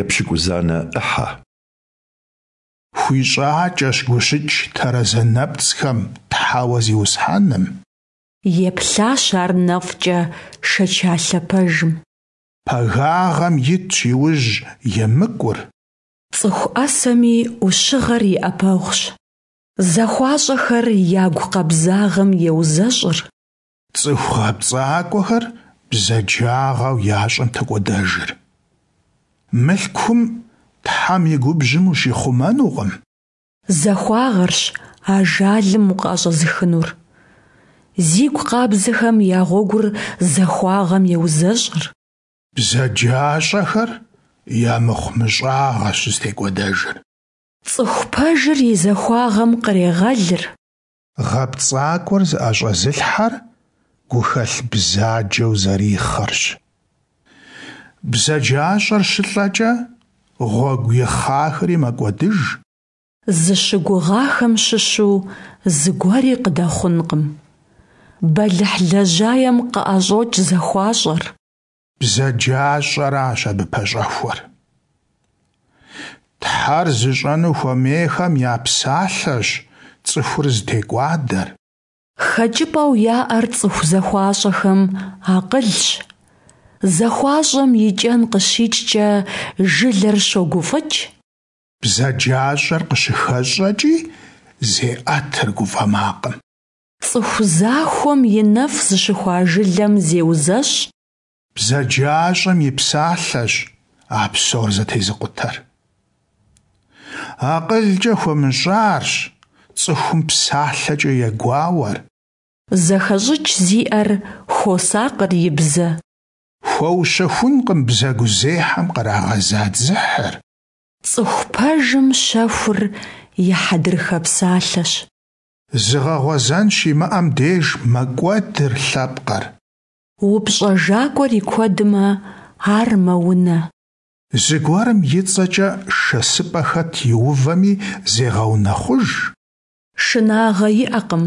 Епщыкӏузанэ ӏыхьэ. ХуищӀакӀэщ гущыкӀ тэрэзэ нэпцӀхэм Тхьэуэ Зиусхьэным. Еплъащ ар нэфӀкӀэ шэчалъэ пэжым. Пагагъэм итщ иужь емыкӀур. Цӏыху ӏэсэми ӏущыгъэр и ӏэпэгъущ. Захуащӏэхэр ягу къабзагъэм еузэщӏыр. Цӏыху гъэпцӀакӀуэхэр бзаджагъэу ящӀэм токӀуэдэжыр. Мылъкум Тхьэм и губжьым ущихъумэнукъым. Захуагъэрщ ажалым укъыӏэщӀэзыхынур. Зигу къабзэхэм я гъуэгур захуагъэм еузэщӀыр. БзаджащӀэхэр я мыхъумыщӀагъэщ зытекӀуэдэжыр. Цӏыху пэжыр и захуагъэм кърегъэлыр. ГъэпцӀакӀуэр зыӀэщӀэзылъхьэр гухэлъ бзаджэу зэрихъэрщ. БзаджащӀэр щылӀэкӀэ, гъуэгу ихъахэри мэкӀуэдыж. Зыщыгугъахэм щыщу зыгуэри къыдэхъункъым. Бэлыхь лэжьаем къыӀэщӀокӀ зэхуащӀэр. БзаджащӀэращ абы пэщӀэхуэр. Тхьэр зыщӀэну хуэмейхэм я псалъэщ цӀыхур зытекӀуадэр. ХэкӀыпӀэу яӀэр цӀыху зэхуащӀэхэм акъылщ. ЗэхуащӀэм и кӀэн къыщикӀкӀэ жылэр щогуфӀыкӀ. БзаджащӀэр къыщыхэщӀэкӀи зеӀэтыр гуфӀэ макъым. ЦӀыху захуэм и нэфӀ зыщыхуа жылэм зеузэщӀ. БзаджащӀэм и псалъэщ а псор зэтезыкъутэр. АкъылкӀэ хуэмыщӀарщ цӀыхум псалъэкӀэ егуауэр. ЗэхэщӀыкӀ зиӀэр хуосакъыр и бзэ. Хуэущэхункъым бзэгузехьэм кърагъэза дзыхьыр. ЦӀыху пэжым щэхур и хьэдрыхэ псалъэщ. Зыгъэгъуэзэн щимыӀэм деж мэкӀуэдыр лъэпкъыр. УпщӀэжакӀуэр и куэдмэ, ар мэунэ. Зыгуэрым и цӀэкӀэ шэсыпӀэ хэт иувэми зегъэунэхъуж. Шынагъэ иӀэкъым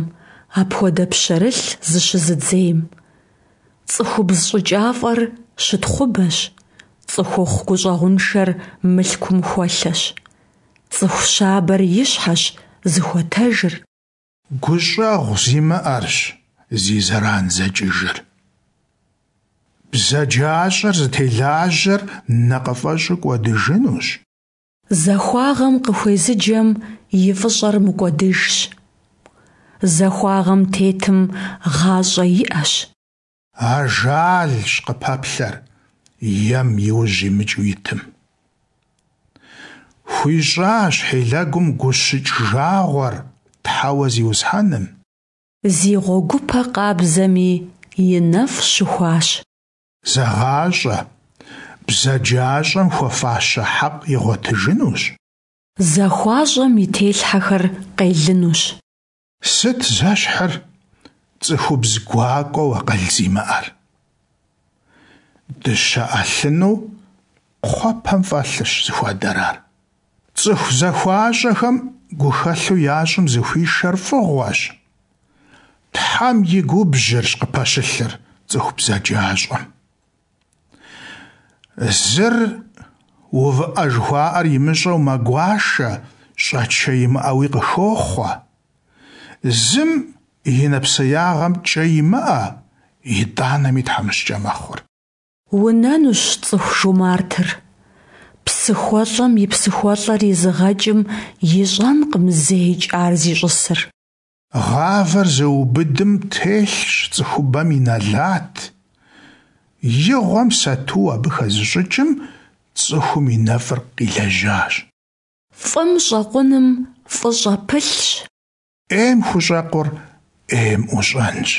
апхуэдэ пщэрылъ зыщызыдзейм. ЦӀыхубз щӀыкӀафӀэр щытхъубэщ, цӀыхухъу гущӀэгъуншэр мылъкум хуэлъэщ. ЦӀыху щабэр и щхьэщ зыхуэтэжыр. ГущӀэгъу зимыӀэрщ зи зэран зэкӀыжыр. БзаджащӀэр зытелажьэр нэкъыфӀэщӀу кӀуэдыжынущ. Захуагъэм къыхуезыджэм и фӀыщӀэр мыкӀуэдыжщ. Захуагъэм тетым гъащӀэ иӀэщ. Ажалщ къыпэплъэр ем и ужь имыкӀыу итым. ХуищӀащ хьилэгум гущыкӀ жагъуэр Тхьэуэ Зиусхьэным. Зи гъуэгупэ къабзэми и нэфӀ щыхуащ. ЗэгъащӀэ, бзаджащӀэм хуэфащэ хьэкъ игъуэтыжынущ. ЗахуащӀэм и телъхьэхэр къелынущ. Сыт зэщхьыр цӀыхубз гуакӀуэу акъыл зимыӀэр? Дыщэ Ӏэлъыну кхъуэпэм фӀэлъырщ зыхуэдэр ар. ЦӀыху захуащӀэхэм гухэлъу ящӀым зыхуишэр фӀыгъуэщ. Тхьэм и губжьырщ къыпэщылъыр цӀыху бзаджащӀэм. Зыр увыӀэ жыхуаӀэр имыщӀэу мэгуашэ, щӀэчэ имыӀэуи къыхохъуэ. Зым и нэпсеягъэм кӀэ имыӀэ, итӀанэми тхьэмыщкӀэ мэхъур. Унэнущ цӀыху жумартыр. ПсыхуэлӀэм и псыхуэлӀэр изыгъэкӀым ищӀэнкъым зэикӀ ар зищӀысыр. Гъавэр зыубыдым телъщ цӀыхубэм и нэлат. Игъуэм сату абы хэзыщӀыкӀым цӀыхум и нэфӀыр къилэжьащ. ФӀым щӀэкъуным фӀыщӀэ пылъщ. Ӏейм хущӀэкъур ӏейм ӀущӀэнщ.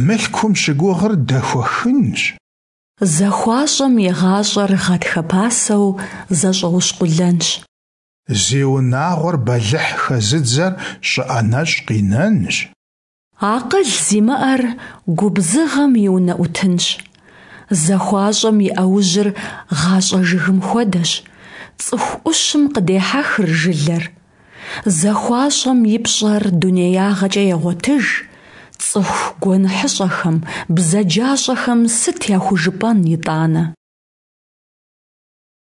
Мылъкум щыгугъыр дэхуэхынщ. ЗахуащӀэм и гъащӀэр гъатхэ пасэу зэщӀэущкъулэнщ. Зи унагъуэр бэлыхь хэзыдзэр щӀыӀэ нэщӀ къинэнщ. Акъыл зимыӀэр губзыгъэм и унэӀутынщ. ЗахуащӀэм и Ӏэужьыр гъащӀэ жыгым хуэдэщ, цӀыху Ӏущым къыдехьэхыр жылэр. ЗахуащӀэм и пщӀэр дунеягъэкӀэ егъуэтыж, цӀыху гуэныхьыщӀэхэм, бзаджащӀэхэм сыт яхужыпӀэн итӀанэ?